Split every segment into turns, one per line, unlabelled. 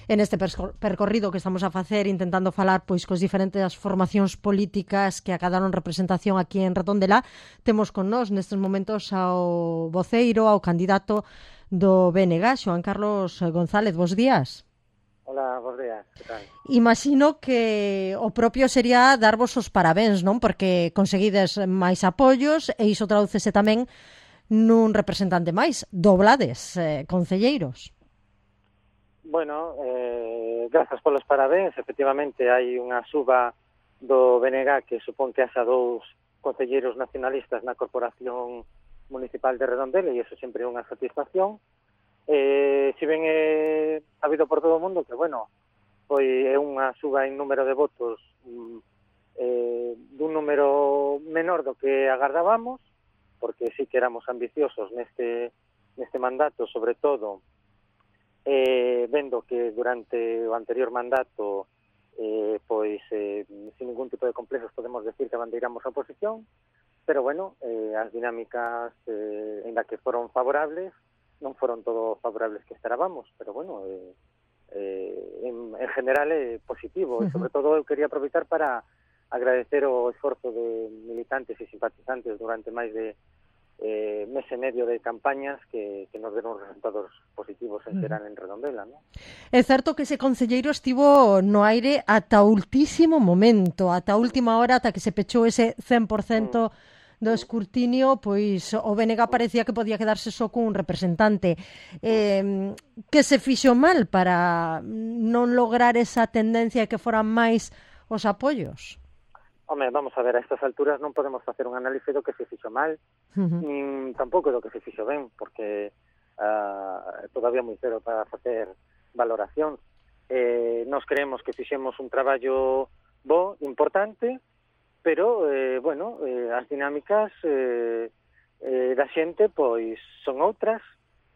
en este percorrido que estamos a facer intentando falar pois cos diferentes formacións políticas que acadaron representación aquí en Redondela. Temos con nós nestes momentos ao voceiro, ao candidato do BNG, Xoán Carlos González. Bos días.
Hola, bos días, que tal?
Imagino que o propio sería darvos os parabéns, non? Porque conseguides máis apoios e iso tradúcese tamén nun representante máis. Doblades, concelleiros.
Bueno, grazas polos parabéns. Efectivamente, hai unha suba do BNG que supón que haxa 2 concelleiros nacionalistas na Corporación Municipal de Redondela e iso sempre é unha satisfacción. Si ben é sabido por todo o mundo que, bueno, foi unha suba en número de votos dun número menor do que agardábamos, porque sí que éramos ambiciosos neste mandato, sobre todo vendo que durante o anterior mandato sin ningún tipo de complexos podemos decir que abandeiramos a oposición, pero bueno, as dinámicas en que foron favorables non foron todo favorables que esperábamos, pero bueno, en general é positivo. E sobre todo eu quería aproveitar para agradecer o esforzo de militantes e simpatizantes durante máis de mes e medio de campañas que nos deron resultados positivos en xeral en Redondela, ¿no?
É certo que ese concelleiro estivo no aire ata o ultísimo momento, ata a última hora, ata que se pechou ese 100% do escrutinio, pois o BNG parecía que podía quedarse só cun representante. Que se fixo mal para non lograr esa tendencia que foran máis os apoios?
Home, vamos a ver, a estas alturas non podemos facer un análise do que se fixo mal, nin tampouco do que se fixo ben, porque todavía moi cero para facer valoración. Nos creemos que fixemos un traballo bo, importante, pero, as dinámicas da xente, pois, son outras,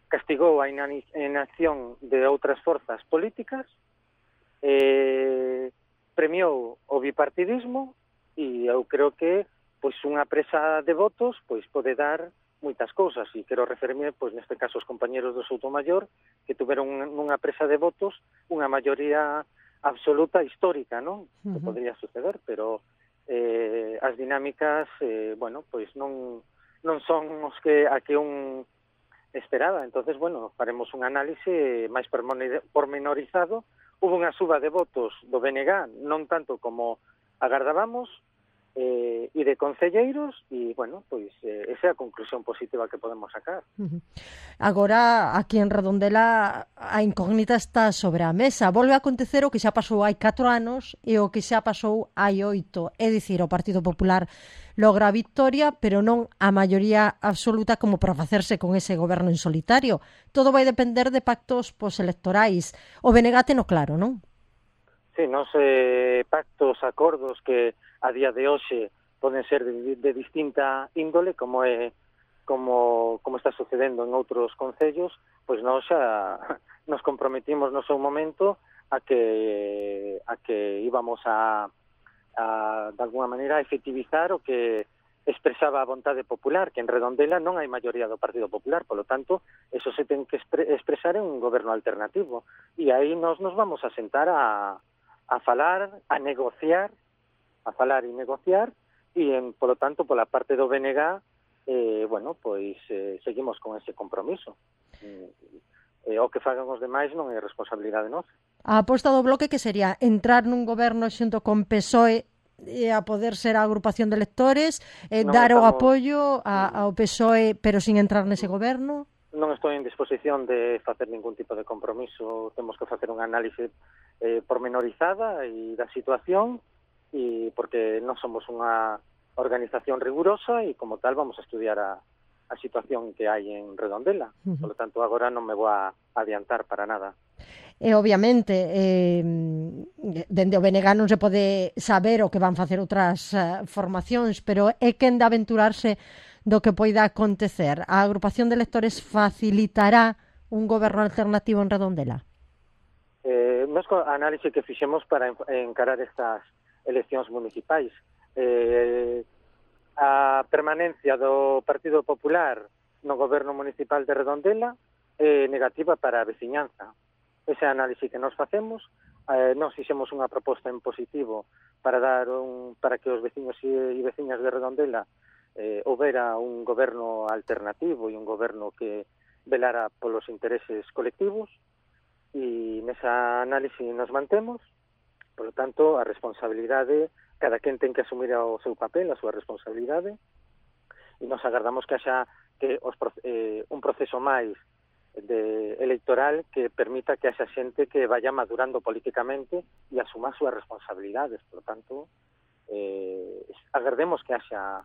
castigou a inacción de outras forzas políticas, premiou o bipartidismo, e eu creo que, pois, unha presa de votos, pois, pode dar moitas cousas, e quero referirme, pois, neste caso, os compañeros do Soutomaior, que tuveron nunha presa de votos unha maioría absoluta histórica, non? Que podría suceder, pero as dinámicas, pois non son os que un esperaba. Entonces, faremos un análise máis pormenorizado. Hubo unha suba de votos do BNG, non tanto como agardábamos, e de concelleiros, e, esa é a conclusión positiva que podemos sacar.
Agora, aquí en Redondela, a incógnita está sobre a mesa. Volve a acontecer o que xa pasou hai 4 anos e o que xa pasou hai 8. É dicir, o Partido Popular logra a victoria, pero non a maioría absoluta como para facerse con ese goberno en solitario. Todo vai depender de pactos postelectorais. O BNG teno claro, non?
Sí, pactos, acordos que a día de hoxe poden ser de distinta índole, como está sucedendo en outros concellos, pois nós xa nos comprometimos no seu momento a que íbamos a de alguna maneira efectivizar o que expresaba a vontade popular, que en Redondela non hai maioría do Partido Popular, polo tanto, eso se ten que expresar en un goberno alternativo. E aí nos vamos a sentar a falar, a negociar, e, polo tanto, pola parte do BNG, seguimos con ese compromiso. O que fagan os demais non é responsabilidade nosa.
A aposta do Bloque que sería entrar nun goberno xunto con PSOE a poder ser a agrupación de electores, dar o apoio ao PSOE, pero sin entrar nese goberno?
Non estou en disposición de facer ningún tipo de compromiso. Temos que facer un análise pormenorizada e da situación, e porque non somos unha organización rigurosa e como tal vamos a estudiar a situación que hai en Redondela. Por lo tanto, agora non me vou a adiantar para nada.
E obviamente dende o BNG non se pode saber o que van facer outras formacións, pero é quen de aventurarse do que poida acontecer. A agrupación de electores facilitará un goberno alternativo en Redondela?
Nos a análise que fixemos para encarar estas eleccións municipais, a permanencia do Partido Popular no goberno municipal de Redondela é negativa para a veciñanza. ese análise que nos facemos. Nós fixemos unha proposta en positivo para que os veciños e veciñas de Redondela houbera un goberno alternativo e un goberno que velara polos intereses colectivos, e nesa análise nos mantemos. Por lo tanto, a responsabilidade, cada quen ten que asumir o seu papel, a súa responsabilidade, e nos agardamos que haxa un proceso máis electoral que permita que haxa xente que vaya madurando políticamente e asuma as súas responsabilidades. Por lo tanto, agardemos que haxa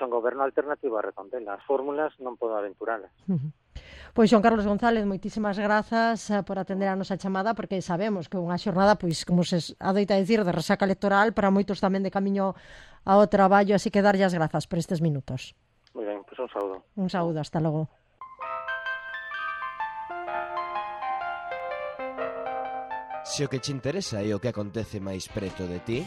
un goberno alternativo a Redondela. As fórmulas non podo aventuralas.
Pois Xoán Carlos González, moitísimas grazas por atender a nosa chamada, porque sabemos que unha xornada, pois, como se adoita dicir, de resaca electoral, para moitos tamén de camiño ao traballo, así que darlle as grazas por estes minutos.
Moi ben, pois un saúdo.
Un saúdo, hasta logo.
Se o que che interesa é o que acontece máis preto de ti,